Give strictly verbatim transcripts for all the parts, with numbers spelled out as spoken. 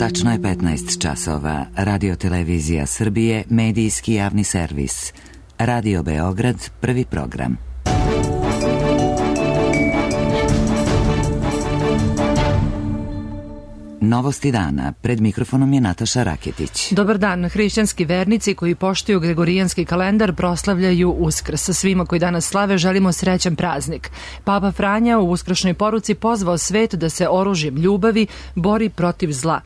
Tačno je petnaest časova. Radio Televizija Srbije, medijski javni servis. Radio Beograd, prvi program. Novosti dana. Pred mikrofonom je Nataša Raketić. Dobar dan. Hrišćanski vernici koji poštuju gregorijanski kalendar proslavljaju Uskrs. Svima koji danas slave želimo srećan praznik. Papa Franja u uskršnjoj poruci pozvao svet da se oružjem ljubavi bori protiv zla.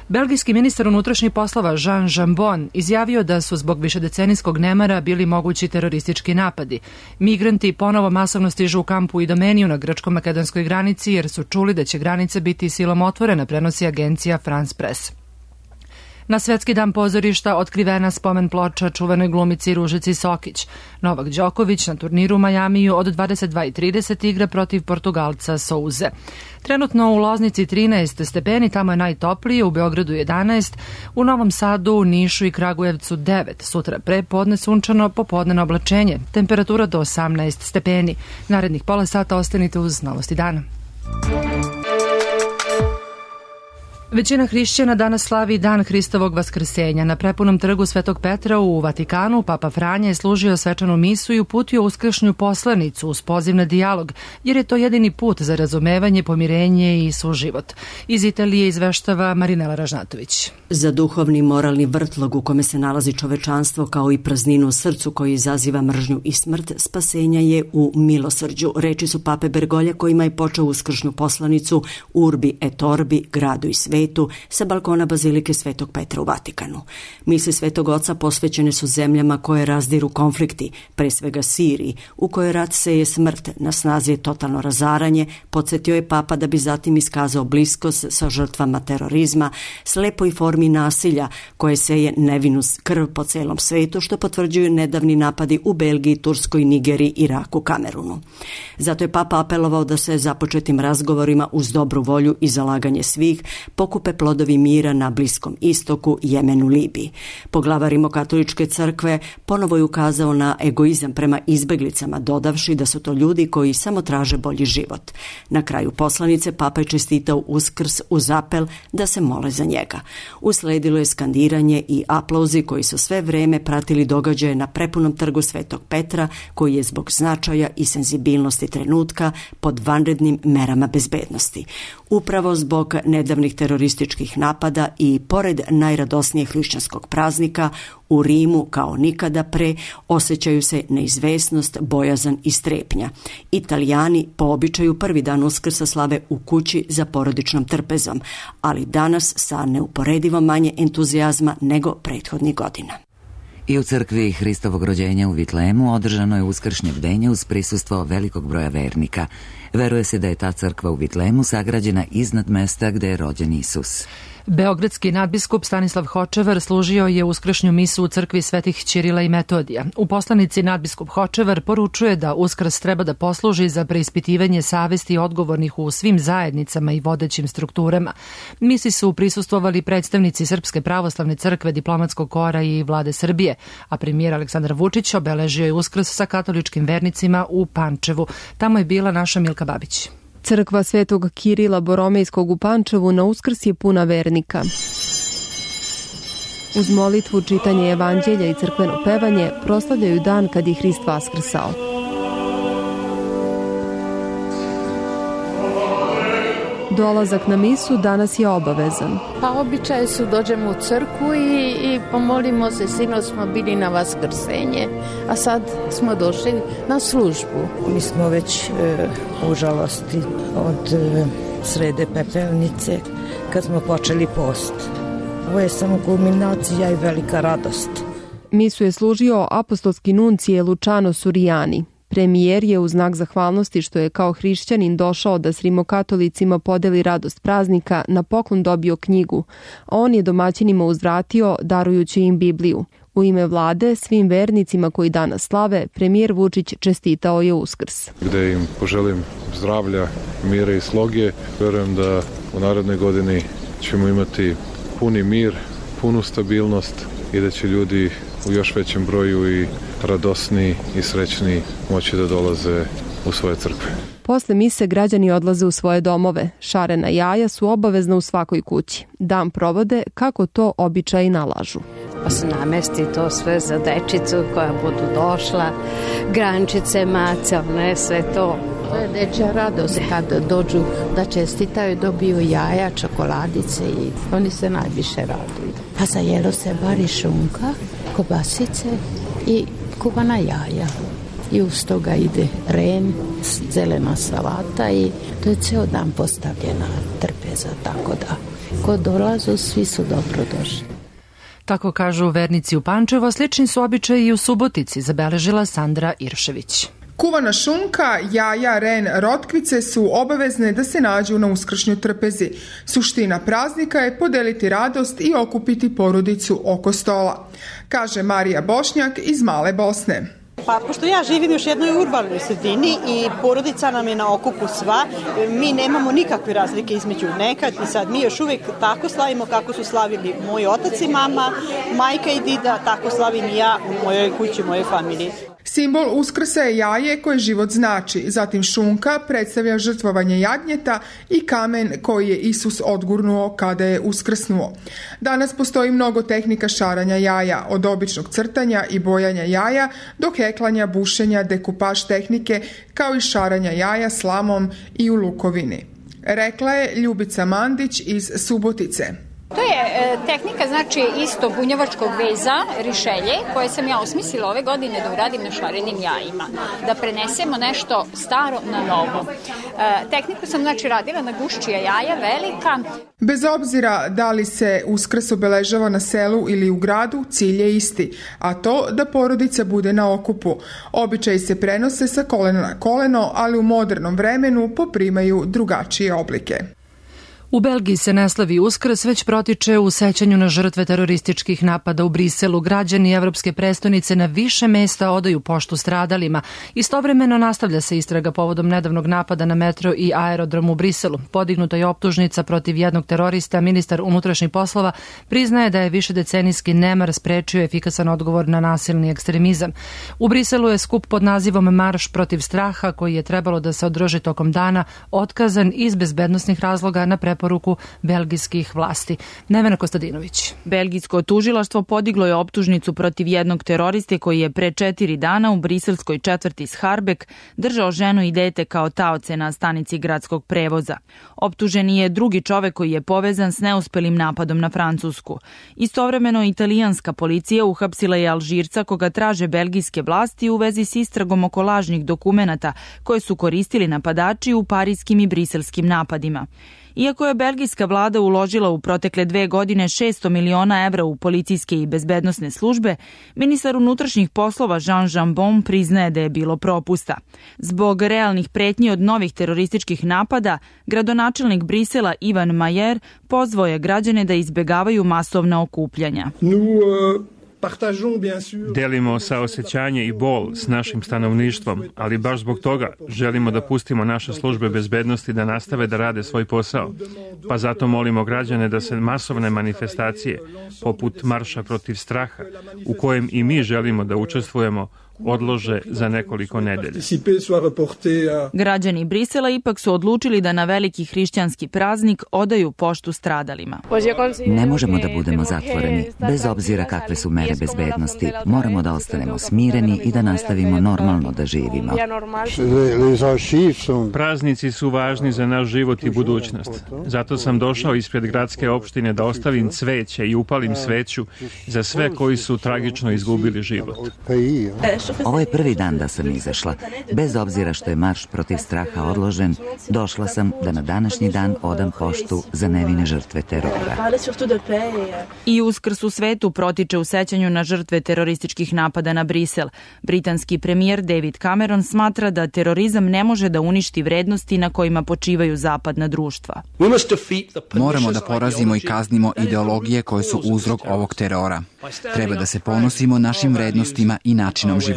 Belgijski ministar unutrašnjih poslova Jean Jambon izjavio da su zbog višedecenijskog nemara bili mogući teroristički napadi. Migranti ponovo masovno stižu u kampu i Domeniju na grčko-makedonskoj granici jer su čuli da će granica biti silom otvorena, prenosi agencija France Press. Na Svetski dan pozorišta otkrivena spomen ploča čuvenoj glumici Ružici Sokić. Novak Đoković na turniru u Majamiju od dvadeset dva i trideset igra protiv Portugalca Souze. Trenutno u Loznici trinaest stepeni, tamo je najtoplije, u Beogradu jedanaest, u Novom Sadu, u Nišu i Kragujevcu devet. Sutra pre podne sunčano, popodne oblačenje. Temperatura do osamnaest stepeni. Narednih pola sata ostanite uz Novosti dana. Većina hrišćana danas slavi Dan Hristovog vaskrsenja. Na prepunom trgu Svetog Petra u Vatikanu Papa Franja je služio svečanu misu i uputio uskršnju poslanicu uz poziv na dijalog, jer je to jedini put za razumevanje, pomirenje i suživot. Iz Italije izveštava Marinela Ražnatović. Za duhovni moralni vrtlog u kome se nalazi čovečanstvo kao i prazninu u srcu koji izaziva mržnju i smrt, spasenja je u milosrđu. Reči su Pape Bergolja kojima je počeo uskršnju poslanicu Urbi et Orbi, gradu i svetu, sa balkona Bazilike Svetog Petra u Vatikanu. Misli Svetog Oca posvećene su zemljama koje razdiru konflikti, pre svega Siriji, u kojoj rat seje smrt, na snazi je totalno razaranje, podsjetio je Papa da bi zatim iskazao bliskost sa žrtvama terorizma, slepoj formi nasilja koje seje nevinu krv po celom svetu, što potvrđuju nedavni napadi u Belgiji, Turskoj, Nigeriji, Iraku, Kamerunu. Zato je Papa apelovao da se započetim razgovorima uz dobru volju i zalaganje svih pokupe plodovi mira na Bliskom istoku, Jemenu, Libiji. Poglavar Rimokatoličke crkve ponovo je ukazao na egoizam prema izbeglicama, dodavši da su to ljudi koji samo traže bolji život. Na kraju poslanice Papa je čestitao Uskrs uz apel da se mole za njega. Usledilo je skandiranje i aplauzi koji su sve vreme pratili događaje na prepunom trgu Svetog Petra, koji je zbog značaja i senzibilnosti trenutka pod vanrednim merama bezbednosti. Upravo zbog nedavnih terorističkih napada i pored najradosnijeg hrišćanskog praznika, u Rimu kao nikada pre osjećaju se neizvesnost, bojazan i strepnja. Italijani po običaju prvi dan Uskrsa slave u kući za porodičnom trpezom, ali danas sa neuporedivo manje entuzijazma nego prethodnih godina. I u crkvi Hristovog rođenja u Vitlemu održano je uskršnje bdenje uz prisustvo velikog broja vernika. Veruje se da je ta crkva u Vitlemu sagrađena iznad mesta gde je rođen Isus. Beogradski nadbiskup Stanislav Hočevar služio je uskršnju misu u crkvi Svetih Ćirila i Metodija. U poslanici nadbiskup Hočevar poručuje da Uskrs treba da posluži za preispitivanje savesti odgovornih u svim zajednicama i vodećim strukturama. Misi su prisustvovali predstavnici Srpske pravoslavne crkve, diplomatskog kora i vlade Srbije, a premijer Aleksandar Vučić obeležio je Uskrs sa katoličkim vernicima u Pančevu. Tamo je bila naša Milka Babić. Crkva Svetog Kirila Boromejskog u Pančevu na Uskrs je puna vernika. Uz molitvu, čitanje evanđelja i crkveno pevanje proslavljaju dan kad je Hrist vaskrsao. Dolazak na misu danas je obavezan. Pa običaj su dođemo u crkvu i, i pomolimo se, sinoć smo bili na vaskrsenje, a sad smo došli na službu. Mi smo već e, u žalosti od e, srede pepelnice kad smo počeli post. Ovo je samo kulminacija i velika radost. Misu je služio apostolski nuncije Luciano Suriani. Premijer je u znak zahvalnosti što je kao hrišćanin došao da s rimokatolicima podeli radost praznika na poklon dobio knjigu, a on je domaćinima uzvratio darujući im Bibliju. U ime vlade svim vernicima koji danas slave, premijer Vučić čestitao je Uskrs. Gde im poželim zdravlja, mira i sloge, verujem da u narednoj godini ćemo imati puni mir, punu stabilnost i da će ljudi u još većem broju i radosniji i srećniji moći da dolaze u svoje crkve. Posle mise građani odlaze u svoje domove. Šarena jaja su obavezna u svakoj kući. Dan provode kako to običaji nalažu. Pa se namesti to sve za dečicu koja budu došla, grančice, mace, one, sve to. To je dečja radost kad dođu da čestitaju, dobiju jaja, čokoladice i oni se najviše raduju. Pa za jelo se vari šunka, kobasice i kuvana jaja. I uz toga ide ren, zelena salata i to je ceo dan postavljena trpeza, tako da ko dolazu svi su dobro došli. Tako kažu vernici u Pančevo, slični su običaji i u Subotici, zabeležila Sandra Iršević. Kuvana šunka, jaja, ren, rotkvice su obavezne da se nađu na uskršnju trpezi. Suština praznika je podeliti radost i okupiti porodicu oko stola, kaže Marija Bošnjak iz Male Bosne. Pa, pošto ja živim još jednoj urbanoj sredini i porodica nam je na okupu sva, mi nemamo nikakve razlike između nekad i sad. Mi još uvijek tako slavimo kako su slavili moj otac i mama, majka i dida, tako slavim i ja u mojoj kući, u mojoj familiji. Simbol Uskrsa je jaje koje život znači, zatim šunka predstavlja žrtvovanje jagnjeta i kamen koji je Isus odgurnuo kada je uskrsnuo. Danas postoji mnogo tehnika šaranja jaja, od običnog crtanja i bojanja jaja do heklanja, bušenja, dekupaž tehnike, kao i šaranja jaja slamom i u lukovini. Rekla je Ljubica Mandić iz Subotice. To je e, tehnika, znači, isto bunjevačkog veza, rišelje, koje sam ja osmislila ove godine da uradim na šarenim jajima. Da prenesemo nešto staro na novo. E, tehniku sam, znači, radila na guščija jaja, velika. Bez obzira da li se Uskrs obeležava na selu ili u gradu, cilj je isti, a to da porodica bude na okupu. Običaji se prenose sa kolena na koleno, ali u modernom vremenu poprimaju drugačije oblike. U Belgiji se ne slavi Uskrs, već protiče u sećanju na žrtve terorističkih napada u Briselu. Građani evropske prestonice na više mesta odaju poštu stradalima. Istovremeno nastavlja se istraga povodom nedavnog napada na metro i aerodrom u Briselu. Podignuta je optužnica protiv jednog terorista. Ministar unutrašnjih poslova priznaje da je višedecenijski nemar sprečio efikasan odgovor na nasilni ekstremizam. U Briselu je skup pod nazivom Marš protiv straha, koji je trebalo da se održi tokom dana, otkazan iz bezbednosnih razloga na preporuku belgijskih vlasti. Nevena Kostadinović. Belgijsko tužilaštvo podiglo je optužnicu protiv jednog teroriste koji je pre četiri dana u briselskoj četvrti Scharbek držao ženu i dete kao taoce na stanici gradskog prevoza. Optuženi je drugi čovek koji je povezan s neuspelim napadom na Francusku. Istovremeno italijanska policija uhapsila je Alžirca koga traže belgijske vlasti u vezi s istragom oko lažnih dokumenata koje su koristili napadači u parijskim i briselskim napadima. Iako je belgijska vlada uložila u protekle dve godine šesto miliona evra u policijske i bezbednosne službe, ministar unutrašnjih poslova Jean Jambon priznaje da je bilo propusta. Zbog realnih pretnji od novih terorističkih napada, gradonačelnik Brisela Ivan Majer pozvao je građane da izbegavaju masovna okupljanja. Delimo saosećanje i bol s našim stanovništvom, ali baš zbog toga želimo da pustimo naše službe bezbednosti da nastave da rade svoj posao. Pa zato molimo građane da se masovne manifestacije, poput Marša protiv straha, u kojem i mi želimo da učestvujemo, odlože za nekoliko nedelja. Građani Brisela ipak su odlučili da na veliki hrišćanski praznik odaju poštu stradalima. Ne možemo da budemo zatvoreni, bez obzira kakve su mere bezbednosti. Moramo da ostanemo smireni i da nastavimo normalno da živimo. Praznici su važni za naš život i budućnost. Zato sam došao ispred gradske opštine da ostavim cveće i upalim sveću za sve koji su tragično izgubili život. Ovo je prvi dan da sam izašla. Bez obzira što je marš protiv straha odložen, došla sam da na današnji dan odam poštu za nevine žrtve terora. I Uskrs u svetu protiče u sećanju na žrtve terorističkih napada na Brisel. Britanski premijer David Cameron smatra da terorizam ne može da uništi vrednosti na kojima počivaju zapadna društva. Moramo da porazimo i kaznimo ideologije koje su uzrok ovog terora. Treba da se ponosimo našim vrednostima i načinom života.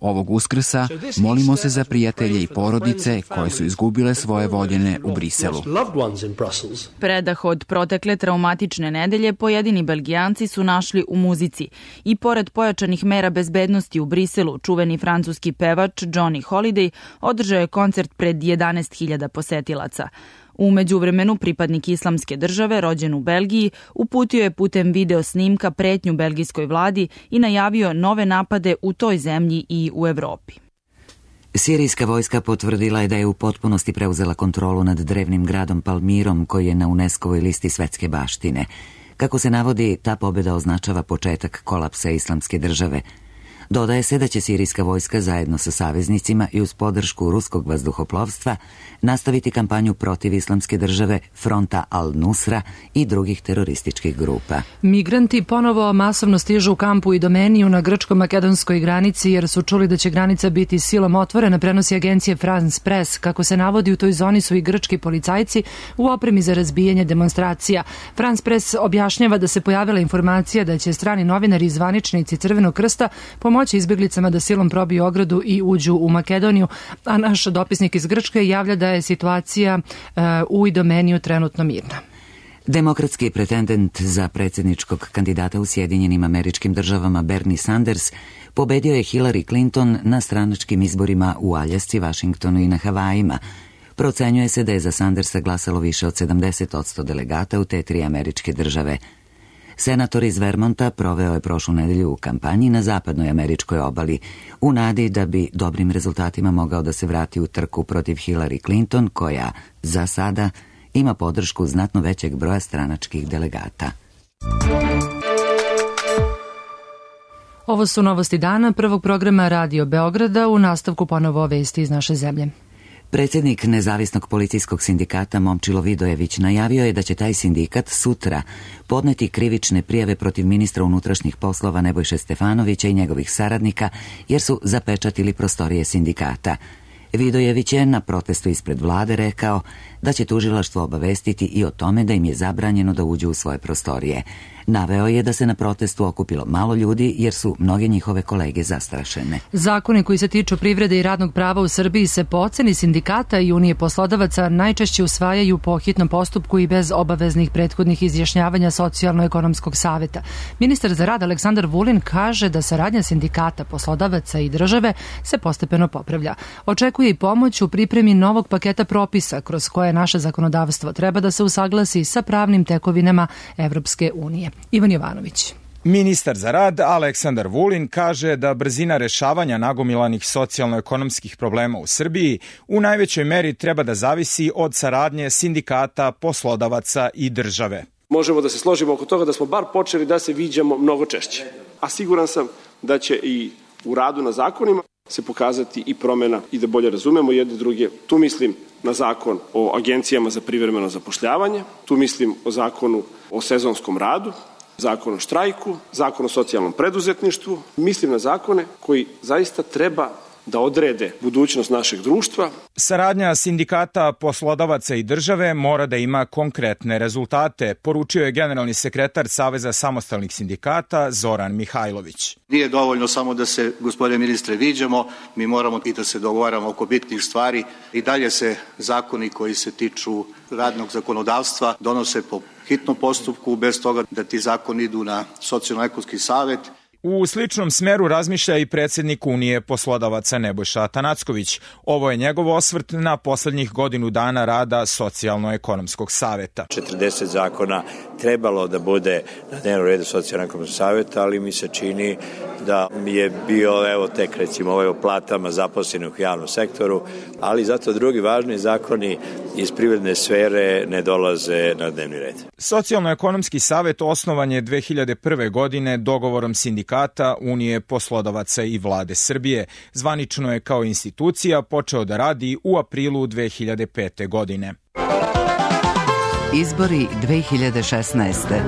Ovog Uskrsa molimo se za prijatelje i porodice koje su izgubile svoje voljene u Briselu. Predah od protekle traumatične nedelje pojedini Belgijanci su našli u muzici i pored pojačanih mera bezbednosti u Briselu, čuveni francuski pevač Johnny Holiday održao je koncert pred jedanaest hiljada posetilaca. U međuvremenu pripadnik Islamske države, rođen u Belgiji, uputio je putem video snimka pretnju belgijskoj vladi i najavio nove napade u toj zemlji i u Evropi. Sirijska vojska potvrdila je da je u potpunosti preuzela kontrolu nad drevnim gradom Palmirom, koji je na UNESCO-voj listi svetske baštine. Kako se navodi, ta pobjeda označava početak kolapsa Islamske države. Dodaje se da će sirijska vojska zajedno sa saveznicima i uz podršku ruskog vazduhoplovstva nastaviti kampanju protiv Islamske države, fronta Al-Nusra i drugih terorističkih grupa. Migranti ponovo masovno stižu u kampu i Domeniju na grčko-makedonskoj granici jer su čuli da će granica biti silom otvorena, prenosi agencije France Press. Kako se navodi, u toj zoni su i grčki policajci u opremi za razbijanje demonstracija. France Press objašnjava da se pojavila informacija da će strani novinari i zvaničnici Crvenog krsta pomoći izbjeglicama da silom probiju ogradu i uđu u Makedoniju, a naš dopisnik iz Grčke javlja da je situacija uh, u Idomeniju trenutno mirna. Demokratski pretendent za predsjedničkog kandidata u Sjedinjenim Američkim Državama Bernie Sanders pobedio je Hillary Clinton na stranačkim izborima u Aljasci, Vašingtonu i na Havajima. Procenjuje se da je za Sandersa glasalo više od sedamdeset posto delegata u te tri američke države. Senator iz Vermonta proveo je prošlu nedelju u kampanji na zapadnoj američkoj obali, u nadi da bi dobrim rezultatima mogao da se vrati u trku protiv Hillary Clinton, koja za sada ima podršku znatno većeg broja stranačkih delegata. Ovo su novosti dana prvog programa Radio Beograda, u nastavku ponovo vesti iz naše zemlje. Predsjednik Nezavisnog policijskog sindikata Momčilo Vidojević najavio je da će taj sindikat sutra podneti krivične prijave protiv ministra unutrašnjih poslova Nebojše Stefanovića i njegovih saradnika jer su zapečatili prostorije sindikata. Vidojević je na protestu ispred vlade rekao da će tužilaštvo obavestiti i o tome da im je zabranjeno da uđu u svoje prostorije. Naveo je da se na protestu okupilo malo ljudi jer su mnoge njihove kolege zastrašene. Zakoni koji se tiču privrede i radnog prava u Srbiji se po oceni sindikata i Unije poslodavaca najčešće usvajaju po hitnom postupku i bez obaveznih prethodnih izjašnjavanja Socijalno-ekonomskog saveta. Ministar za rad Aleksandar Vulin kaže da saradnja sindikata, poslodavaca i države se postepeno popravlja. Očekuje i pomoć u pripremi novog paketa propisa kroz koje naše zakonodavstvo treba da se usaglasi sa pravnim tekovinama Evropske unije. Ivan Jovanović. Ministar za rad Aleksandar Vulin kaže da brzina rešavanja nagomilanih socijalno-ekonomskih problema u Srbiji u najvećoj meri treba da zavisi od saradnje sindikata, poslodavaca i države. Možemo da se složimo oko toga da smo bar počeli da se viđamo mnogo češće, a siguran sam da će i u radu na zakonima se pokazati i promjena i da bolje razumemo jedne druge. Tu mislim na zakon o agencijama za privremeno zapošljavanje, tu mislim o zakonu o sezonskom radu, zakon o štrajku, zakon o socijalnom preduzetništvu. Mislim na zakone koji zaista treba da odrede budućnost našeg društva. Saradnja sindikata, poslodavaca i države mora da ima konkretne rezultate, poručio je generalni sekretar Saveza samostalnih sindikata Zoran Mihajlović. Nije dovoljno samo da se, gospodine ministre, viđamo, mi moramo i da se dogovaramo oko bitnih stvari. I dalje se zakoni koji se tiču radnog zakonodavstva donose po hitnom postupku, bez toga da ti zakoni idu na Socijalno-ekonomski savet. U sličnom smeru razmišlja i predsjednik Unije poslodavaca Nebojša Atanacković. Ovo je njegov osvrt na poslednjih godinu dana rada Socijalno-ekonomskog saveta. četrdeset zakona trebalo da bude na dnevnom redu Socijalno-ekonomskog saveta, ali mi se čini da je bio, evo tek recimo ovaj o platama zaposlenih u javnom sektoru, ali zato drugi važni zakoni iz privredne sfere ne dolaze na dnevni red. Socijalno-ekonomski savet osnovan je dve hiljade prve. godine dogovorom sindikata, Unije poslodavaca i vlade Srbije. Zvanično je kao institucija počeo da radi u aprilu dve hiljade pete. godine. Izbori dve hiljade šesnaeste.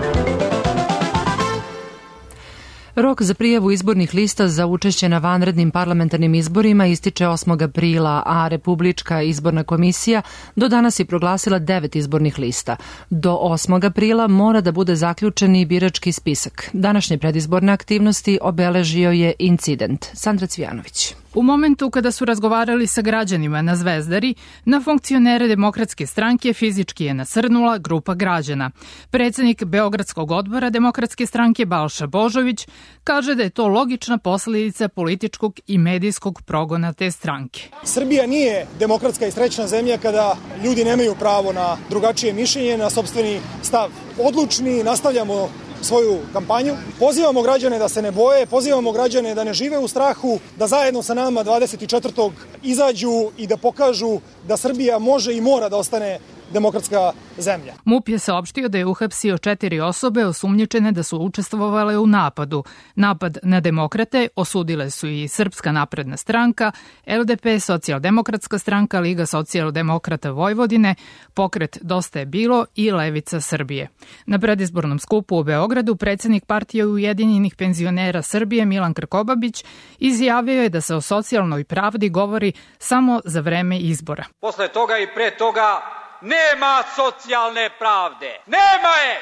Rok za prijavu izbornih lista za učešće na vanrednim parlamentarnim izborima ističe osmog aprila, a Republička izborna komisija do danas je proglasila devet izbornih lista. Do osmog aprila mora da bude zaključen i birački spisak. Današnje predizborne aktivnosti obeležio je incident. Sandra Cvijanović. U momentu kada su razgovarali sa građanima na Zvezdari, na funkcionere Demokratske stranke fizički je nasrnula grupa građana. Predsednik Beogradskog odbora Demokratske stranke Balša Božović kaže da je to logična posledica političkog i medijskog progona te stranke. Srbija nije demokratska i srećna zemlja kada ljudi nemaju pravo na drugačije mišljenje, na sopstveni stav. Odlučni, nastavljamo svoju kampanju. Pozivamo građane da se ne boje, pozivamo građane da ne žive u strahu, da zajedno sa nama dvadeset četvrtog izađu i da pokažu da Srbija može i mora da ostane demokratska zemlja. MUP je saopštio da je uhapsio četiri osobe osumnjičene da su učestvovale u napadu. Napad na demokrate osudile su i Srpska napredna stranka, L D P, Socijaldemokratska stranka, Liga socijaldemokrata Vojvodine, Pokret Dosta je bilo i Levica Srbije. Na predizbornom skupu u Beogradu predsednik Partije Ujedinjenih penzionera Srbije Milan Krkobabić izjavio je da se o socijalnoj pravdi govori samo za vreme izbora. Posle toga i pre toga nema socijalne pravde. Nema je!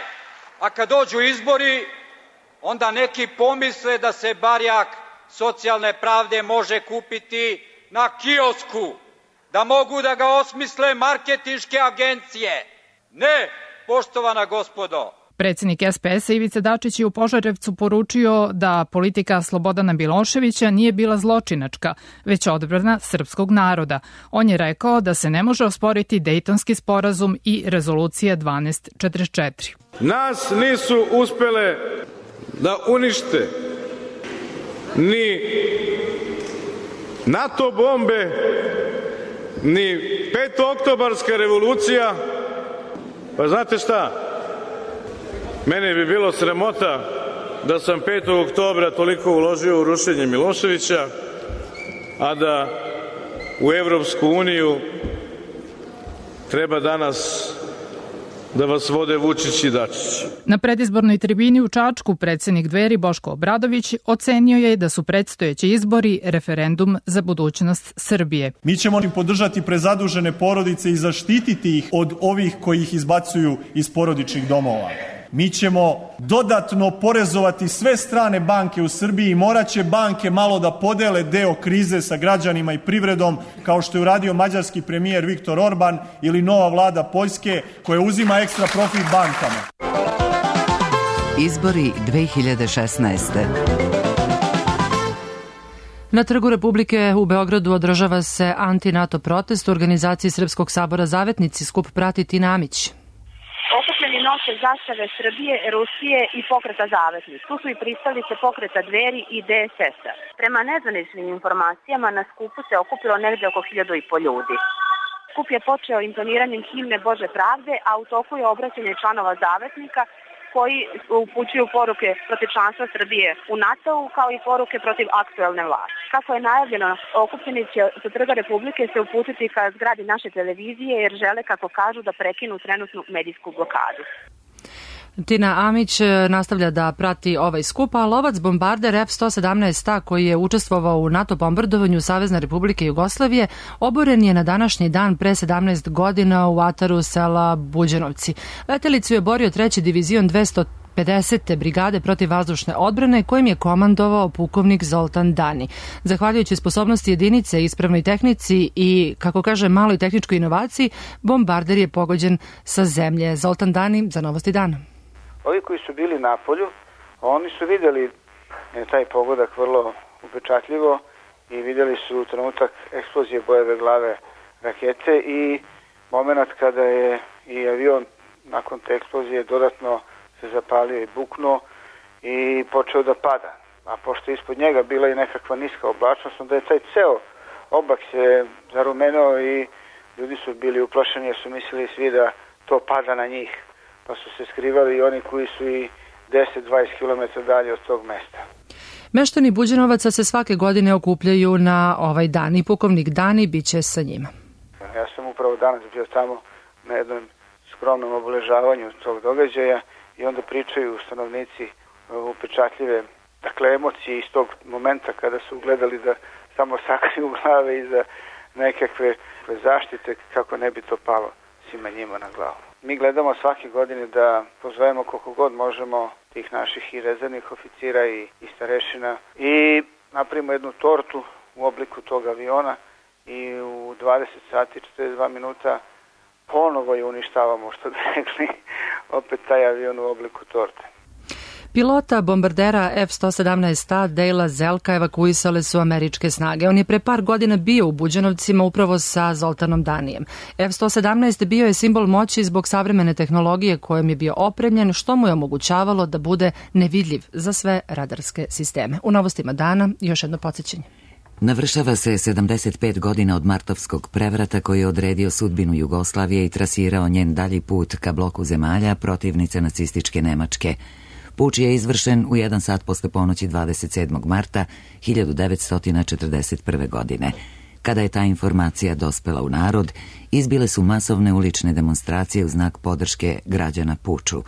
A kad dođu izbori, onda neki pomisle da se barjak socijalne pravde može kupiti na kiosku, da mogu da ga osmisle marketinške agencije. Ne, poštovana gospodo. Predsednik S P S-a Ivica Dačić je u Požarevcu poručio da politika Slobodana Miloševića nije bila zločinačka, već odbrana srpskog naroda. On je rekao da se ne može osporiti Dejtonski sporazum i rezolucija dvanaest četrdeset četiri. Nas nisu uspele da unište ni NATO bombe, ni petooktobarska revolucija. Pa znate šta? Mene bi bilo sramota da sam petog oktobra toliko uložio u rušenje Miloševića, a da u Evropsku uniju treba danas da vas vode Vučić i Dačić. Na predizbornoj tribini u Čačku predsednik Dveri Boško Obradović ocenio je da su predstojeći izbori referendum za budućnost Srbije. Mi ćemo im podržati prezadužene porodice i zaštititi ih od ovih koji ih izbacuju iz porodičnih domova. Mi ćemo dodatno porezovati sve strane banke u Srbiji i morat će banke malo da podele deo krize sa građanima i privredom, kao što je uradio mađarski premijer Viktor Orban ili nova vlada Poljske koja uzima ekstra profit bankama. Izbori dve hiljade šesnaeste. Na Trgu Republike u Beogradu održava se anti-NATO protest u organizaciji Srpskog sabora Zavetnici. Skup prati Tina Amić. Okupljeni nose zastave Srbije, Rusije i pokreta Zavetnici. Tu su i pristalice pokreta Dveri i D S S-a. Prema nezvaničnim informacijama na skupu se okupilo negde oko hiljadu i po ljudi. Skup je počeo intoniranjem himne Bože pravde, a u toku je obraćanje članova Zavetnika koji upućuju poruke protiv članstva Srbije u NATO-u, kao i poruke protiv aktuelne vlasti. Kako je najavljeno, okupljeni će sa Trga Republike se uputiti ka zgradi naše televizije jer žele, kako kažu, da prekinu trenutnu medijsku blokadu. Tina Amić nastavlja da prati ovaj skup, a lovac bombarder F sto sedamnaest A koji je učestvovao u NATO bombardovanju Savezne Republike Jugoslavije oboren je na današnji dan pre sedamnaest godina u ataru sela Buđanovci. Letelicu je borio treći divizion dvesta pedesete brigade protivvazdušne odbrane kojim je komandovao pukovnik Zoltan Dani. Zahvaljujući sposobnosti jedinice, ispravnoj tehnici i, kako kaže, maloj tehničkoj inovaciji, bombarder je pogođen sa zemlje. Zoltan Dani za Novosti dana. Ovi koji su bili na polju, oni su vidjeli taj pogodak vrlo upečatljivo i vidjeli su trenutak eksplozije bojeve glave rakete i moment kada je i avion nakon te eksplozije dodatno se zapalio i buknuo i počeo da pada. A pošto je ispod njega bila i nekakva niska oblačnost, onda je taj ceo oblak se zarumenao i ljudi su bili uplašeni jer su mislili svi da to pada na njih. Pa su se skrivali i oni koji su i deset do dvadeset kilometara dalje od tog mesta. Meštani Buđanovaca se svake godine okupljaju na ovaj dan i pukovnik Dani bit će sa njima. Ja sam upravo danas bio tamo na jednom skromnom obeležavanju tog događaja i onda pričaju stanovnici upečatljive, dakle, emocije iz tog momenta kada su gledali da samo sakriju glave iza nekakve zaštite kako ne bi to palo svima njima na glavu. Mi gledamo svake godine da pozovemo koliko god možemo tih naših i rezervnih oficira i, i starešina i napravimo jednu tortu u obliku tog aviona i u dvadeset sati i četrdeset dva minuta ponovo je uništavamo, što bi rekli, opet taj avion u obliku torte. Pilota bombardera F sto sedamnaest A Dejla Zelka evakuisale su američke snage. On je pre par godina bio u Buđanovcima upravo sa Zoltanom Danijem. F sto sedamnaest bio je simbol moći zbog savremene tehnologije kojom je bio opremljen, što mu je omogućavalo da bude nevidljiv za sve radarske sisteme. U novostima dana još jedno podsjećanje. Navršava se sedamdeset pet godina od martovskog prevrata koji je odredio sudbinu Jugoslavije i trasirao njen dalji put ka bloku zemalja protivnice nacističke Nemačke. Puč je izvršen u jedan sat posle ponoći dvadeset sedmog marta hiljadu devetsto četrdeset prve. godine. Kada je ta informacija dospela u narod, izbile su masovne ulične demonstracije u znak podrške građana puču.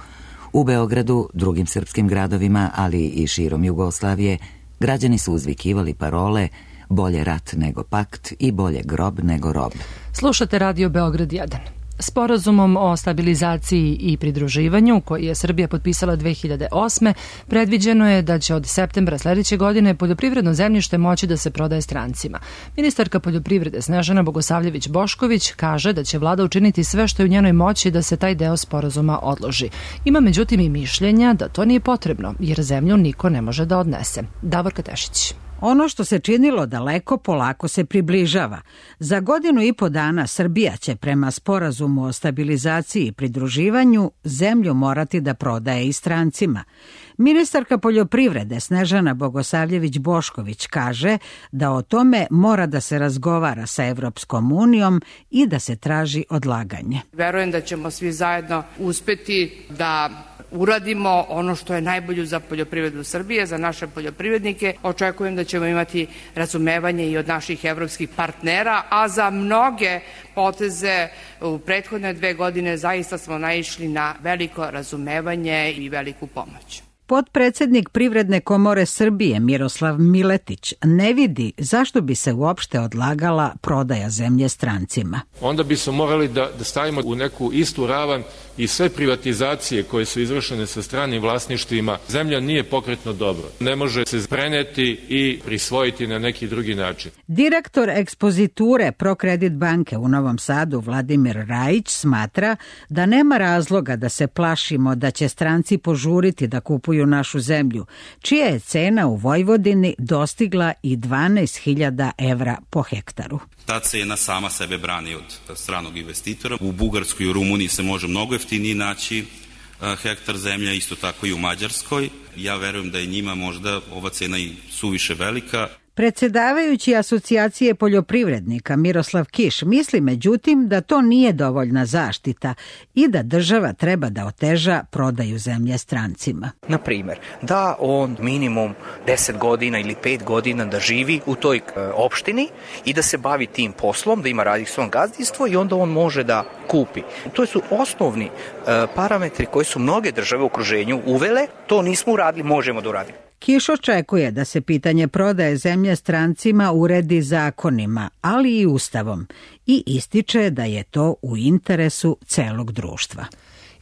U Beogradu, drugim srpskim gradovima, ali i širom Jugoslavije, građani su uzvikivali parole bolje rat nego pakt i bolje grob nego rob. Slušate Radio Beograd jedan. Sporazumom o stabilizaciji i pridruživanju, koji je Srbija potpisala dve hiljade osme. predviđeno je da će od septembra sledeće godine poljoprivredno zemljište moći da se prodaje strancima. Ministarka poljoprivrede Snežana Bogosavljević-Bošković kaže da će vlada učiniti sve što je u njenoj moći da se taj deo sporazuma odloži. Ima međutim i mišljenja da to nije potrebno, jer zemlju niko ne može da odnese. Davorka Tešić. Ono što se činilo daleko polako se približava. Za godinu i po dana Srbija će prema sporazumu o stabilizaciji i pridruživanju zemlju morati da prodaje i strancima. Ministarka poljoprivrede Snežana Bogosavljević-Bošković kaže da o tome mora da se razgovara sa Evropskom unijom i da se traži odlaganje. Verujem da ćemo svi zajedno uspeti da uradimo ono što je najbolje za poljoprivredu Srbije, za naše poljoprivrednike. Očekujem da ćemo imati razumevanje i od naših evropskih partnera, a za mnoge poteze u prethodne dve godine zaista smo naišli na veliko razumevanje i veliku pomoć. Potpredsednik Privredne komore Srbije Miroslav Miletić ne vidi zašto bi se uopšte odlagala prodaja zemlje strancima. Onda bi se morali da, da stavimo u neku istu ravan i sve privatizacije koje su izvršene sa stranim vlasništvima. Zemlja nije pokretno dobro. Ne može se preneti i prisvojiti na neki drugi način. Direktor ekspoziture Prokredit banke u Novom Sadu Vladimir Rajić smatra da nema razloga da se plašimo da će stranci požuriti da kupuju našu zemlju, čija je cena u Vojvodini dostigla i dvanaest hiljada evra po hektaru. Ta cena sama sebe brani od stranog investitora. U Bugarskoj i u Rumuniji se može mnogo jeftinije naći hektar zemlje, isto tako i u Mađarskoj. Ja verujem da je njima možda ova cena i suviše velika. Predsedavajući asocijacije poljoprivrednika Miroslav Kiš misli međutim da to nije dovoljna zaštita i da država treba da oteža prodaju zemlje strancima. Na primjer, da on minimum deset godina ili pet godina da živi u toj e, opštini i da se bavi tim poslom, da ima radi svom gazdinstvo i onda on može da kupi. To su osnovni e, parametri koji su mnoge države u okruženju uvele, to nismo uradili, možemo da uradimo. Kiš očekuje da se pitanje prodaje zemlje strancima uredi zakonima, ali i ustavom, i ističe da je to u interesu celog društva.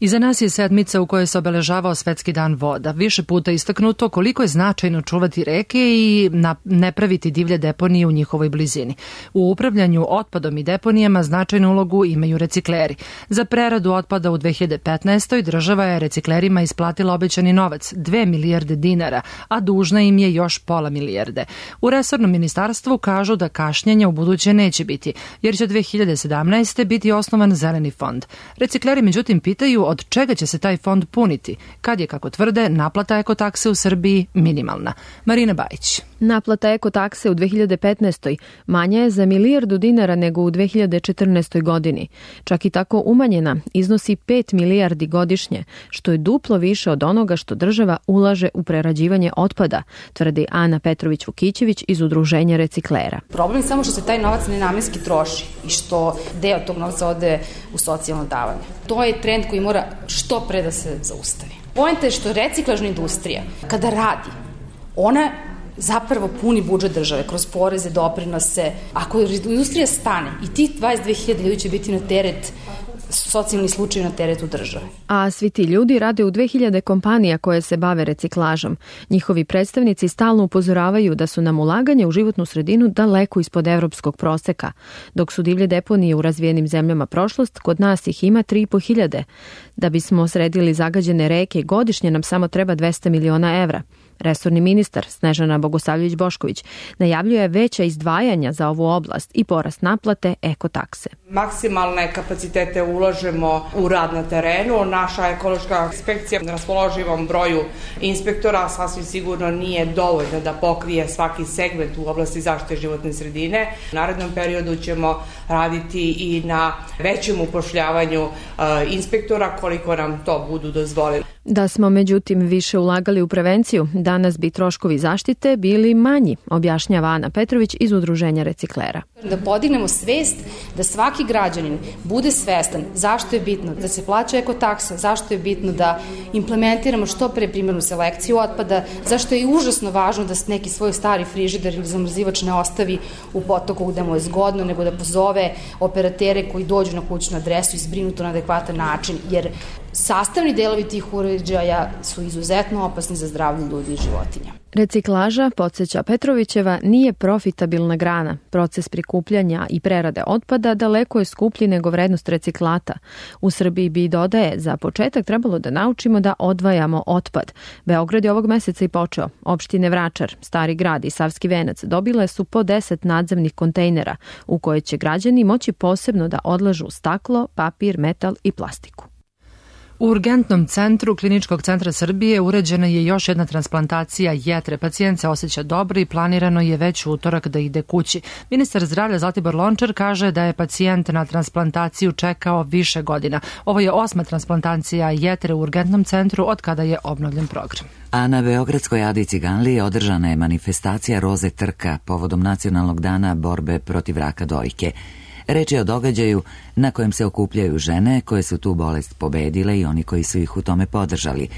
Iza nas je sedmica u kojoj se obeležavao Svetski dan voda. Više puta istaknuto koliko je značajno čuvati reke i ne praviti divlje deponije u njihovoj blizini. U upravljanju otpadom i deponijama značajnu ulogu imaju recikleri. Za preradu otpada u dve hiljade petnaestoj. država je reciklerima isplatila obećani novac, dve milijarde dinara, a dužna im je još pola milijarde. U resornom ministarstvu kažu da kašnjenja u buduće neće biti, jer će dve hiljade sedamnaeste. biti osnovan zeleni fond. Recikleri međutim pitaju od čega će se taj fond puniti, kad je, kako tvrde, naplata ekotakse u Srbiji minimalna. Marina Bajić. Naplata ekotakse u dve hiljade petnaestoj. manja je za milijardu dinara nego u dve hiljade četrnaestoj. godini. Čak i tako umanjena iznosi pet milijardi godišnje, što je duplo više od onoga što država ulaže u prerađivanje otpada, tvrdi Ana Petrović-Vukićević iz Udruženja reciklera. Problem je samo što se taj novac nenamenski troši i što deo tog novca ode u socijalno davanje. To je trend koji mora što pre da se zaustavi. Poenta je što reciklažna industrija, kada radi, ona zapravo puni budžet države kroz poreze, doprinose. Ako industrija stane i tih dvadeset dve hiljade ljudi će biti na teret socijalni slučaj na teretu države. A svi ti ljudi rade u dve hiljade kompanija koje se bave reciklažom. Njihovi predstavnici stalno upozoravaju da su nam ulaganje u životnu sredinu daleko ispod evropskog proseka. Dok su divlje deponije u razvijenim zemljama prošlost, kod nas ih ima tri i po hiljade. Da bismo sredili zagađene reke, godišnje nam samo treba dvesta miliona evra. Resorni ministar Snežana Bogosavljević-Bošković najavljuje veća izdvajanja za ovu oblast i porast naplate ekotakse. Maksimalne kapacitete ulažemo u rad na terenu. Naša ekološka inspekcija na raspoloživom broju inspektora sasvim sigurno nije dovoljna da pokrije svaki segment u oblasti zaštite životne sredine. U narednom periodu ćemo raditi i na većem upošljavanju inspektora koliko nam to budu dozvolili. Da smo međutim više ulagali u prevenciju, danas bi troškovi zaštite bili manji, objašnjava Ana Petrović iz Udruženja reciklera. Da podignemo svest da svaki građanin bude svestan zašto je bitno da se plaća ekotaksa, zašto je bitno da implementiramo što pre primarnu selekciju otpada, zašto je užasno važno da se neki svoj stari frižider ili zamrzivač ne ostavi u potoku gde mu je zgodno, nego da pozove operatere koji dođu na kućnu adresu i zbrinu to na adekvatan način, jer sastavni delovi tih uređaja su izuzetno opasni za zdravlje ljudi i životinja. Reciklaža, podsjeća Petrovićeva, nije profitabilna grana. Proces prikupljanja i prerade otpada daleko je skuplji nego vrednost reciklata. U Srbiji bi, dodaje, za početak trebalo da naučimo da odvajamo otpad. Beograd je ovog meseca i počeo. Opštine Vračar, Stari grad i Savski venac dobile su po deset nadzemnih kontejnera u koje će građani moći posebno da odlažu staklo, papir, metal i plastiku. U urgentnom centru Kliničkog centra Srbije uređena je još jedna transplantacija jetre. Pacijent se osjeća dobro i planirano je već u utorak da ide kući. Ministar zdravlja Zlatibor Lončar kaže da je pacijent na transplantaciju čekao više godina. Ovo je osma transplantacija jetre u urgentnom centru od kada je obnovljen program. A na Beogradskoj Adi Ciganliji održana je manifestacija Roze trka povodom Nacionalnog dana borbe protiv raka dojke. Reč je o događaju na kojem se okupljaju žene koje su tu bolest pobedile i oni koji su ih u tome podržali.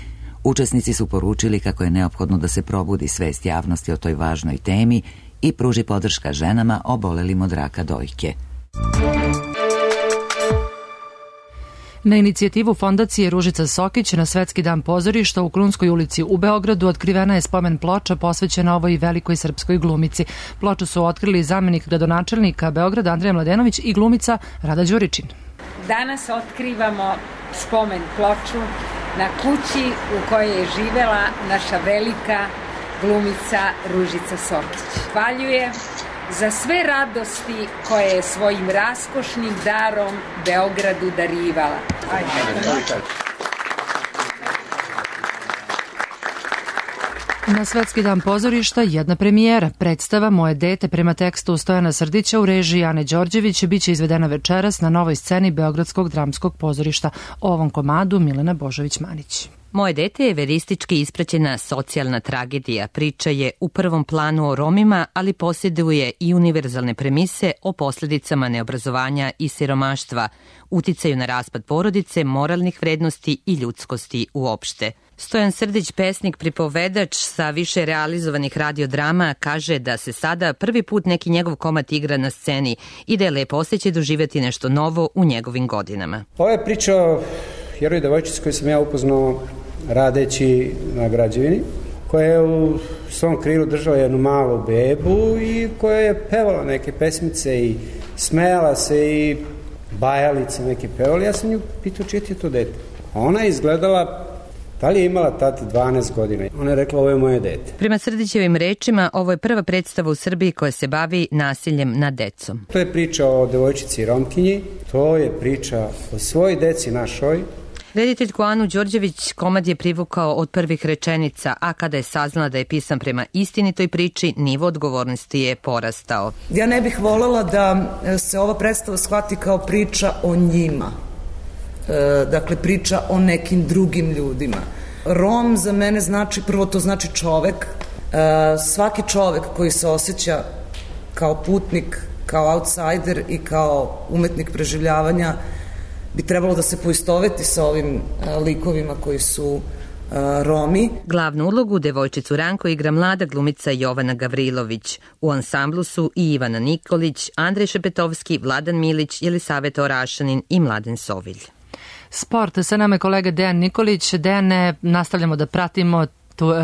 Učesnici su poručili kako je neophodno da se probudi svest javnosti o toj važnoj temi i pruži podrška ženama obolelim od raka dojke. Na inicijativu fondacije Ružica Sokić na Svetski dan pozorišta u Krunskoj ulici u Beogradu otkrivena je spomen ploča posvećena ovoj velikoj srpskoj glumici. Ploču su otkrili zamenik gradonačelnika Beograda Andrija Mladenović i glumica Rada Đuričin. Danas otkrivamo spomen ploču na kući u kojoj je živela naša velika glumica Ružica Sokić. Hvaljuje za sve radosti koje je svojim raskošnim darom Beogradu darivala. Na Svetski dan pozorišta jedna premijera. Predstava Moje dete prema tekstu Stojana Srdića u režiji Ane Đorđević biće izvedena večeras na novoj sceni Beogradskog dramskog pozorišta. O ovom komadu Milena Božović-Manić. Moje dete je veristički ispraćena socijalna tragedija. Priča je u prvom planu o Romima, ali posjeduje i univerzalne premise o posljedicama neobrazovanja i siromaštva, uticaju na raspad porodice, moralnih vrednosti i ljudskosti uopšte. Stojan Srdić, pesnik, pripovedač sa više realizovanih radiodrama, kaže da se sada prvi put neki njegov komad igra na sceni i da je lepo osjećaj doživjeti nešto novo u njegovim godinama. Ovo je priča o heroj devojčici koju sam ja upoznao radeći na građevini, koja je u svom krilu držala jednu malu bebu i koja je pevala neke pesmice i smejala se i bajalice neke pevali. Ja sam nju pitao čije ti je to dete. A ona je izgledala, da li je imala tati dvanaest godina. Ona je rekla ovo je moje dete. Prema Srdićevim rečima, ovo je prva predstava u Srbiji koja se bavi nasiljem nad decom. To je priča o devojčici Romkinji, to je priča o svoj deci našoj. Rediteljku Anu Đorđević komad je privukao od prvih rečenica, a kada je saznala da je pisan prema istinitoj priči, nivo odgovornosti je porastao. Ja ne bih voljela da se ova predstava shvati kao priča o njima. E, dakle, priča o nekim drugim ljudima. Rom za mene znači, prvo to znači čovek. E, svaki čovek koji se osjeća kao putnik, kao outsider i kao umetnik preživljavanja bi trebalo da se poistoveti sa ovim likovima koji su Romi. Glavnu ulogu devojčicu Ranko igra mlada glumica Jovana Gavrilović. U ansamblu su i Ivana Nikolić, Andrej Šepetovski, Vladan Milić, Jelisaveta Orašanin i Mladen Sovilj. Sport, sa nama je kolega Dejan Nikolić. Dejane, nastavljamo da pratimo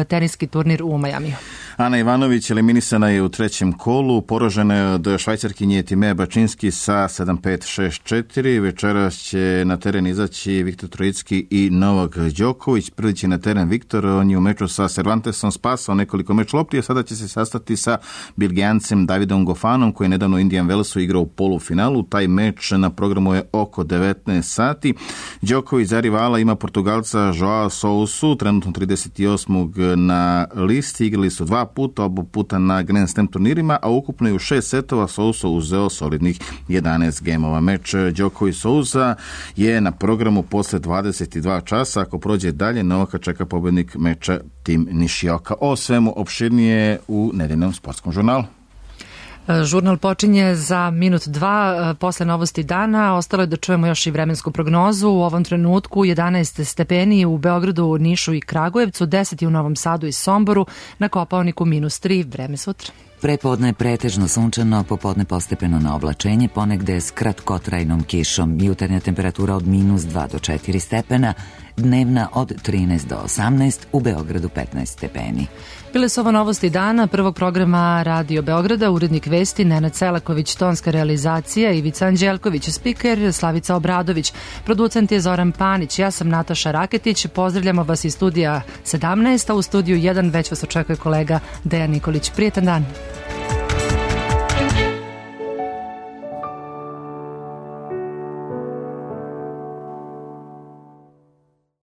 teniski turnir u Majamiju. Ana Ivanović eliminisana je u trećem kolu, poražena je od Švajcarkinje Timea Bačinski sa sedam pet šest četiri. Večeras će na teren izaći Viktor Trojicki i Novak Đoković. Prvi će na teren Viktor, on je u meču sa Cervantesom spasao nekoliko meč lopti, a sada će se sastati sa Belgijancem Davidom Gofanom, koji je nedavno u Indian Wellsu igrao u polufinalu. Taj meč na programu je oko devetnaest sati. Đoković za rivala ima Portugalca Joao Sousu, trenutno trideset osmog na listi. Igrali su dva puta, oba puta na Grand Slam turnirima, a ukupno je u šest setova Sousa uzeo solidnih jedanaest gemova. Meč Đoković-Sousa je na programu posle dvadeset dva časa. Ako prođe dalje, Novaka čeka pobednik meča Tim Nishioka. O svemu opširnije u nedeljnom sportskom žurnalu. Žurnal počinje za minut dva posle novosti dana. Ostalo je da čujemo još i vremensku prognozu. U ovom trenutku jedanaest stepeni u Beogradu, Nišu i Kragujevcu, deset u Novom Sadu i Somboru, na Kopaoniku minus tri, vreme sutra. Prepodne je pretežno sunčano, popodne postepeno na oblačenje, ponegde s kratkotrajnom kišom. Jutarnja temperatura od minus dva do četiri stepena, dnevna od trinaest do osamnaest, u Beogradu petnaest stepeni. Bile su ovo novosti dana prvog programa Radio Beograda, urednik vesti Nenad Selaković, tonska realizacija Ivica Anđelković, spiker Slavica Obradović, producent je Zoran Panić, ja sam Nataša Raketić, pozdravljamo vas iz studija sedamnaest, a u studiju jedan već vas očekuje kolega Dejan Nikolić. Prijetan dan.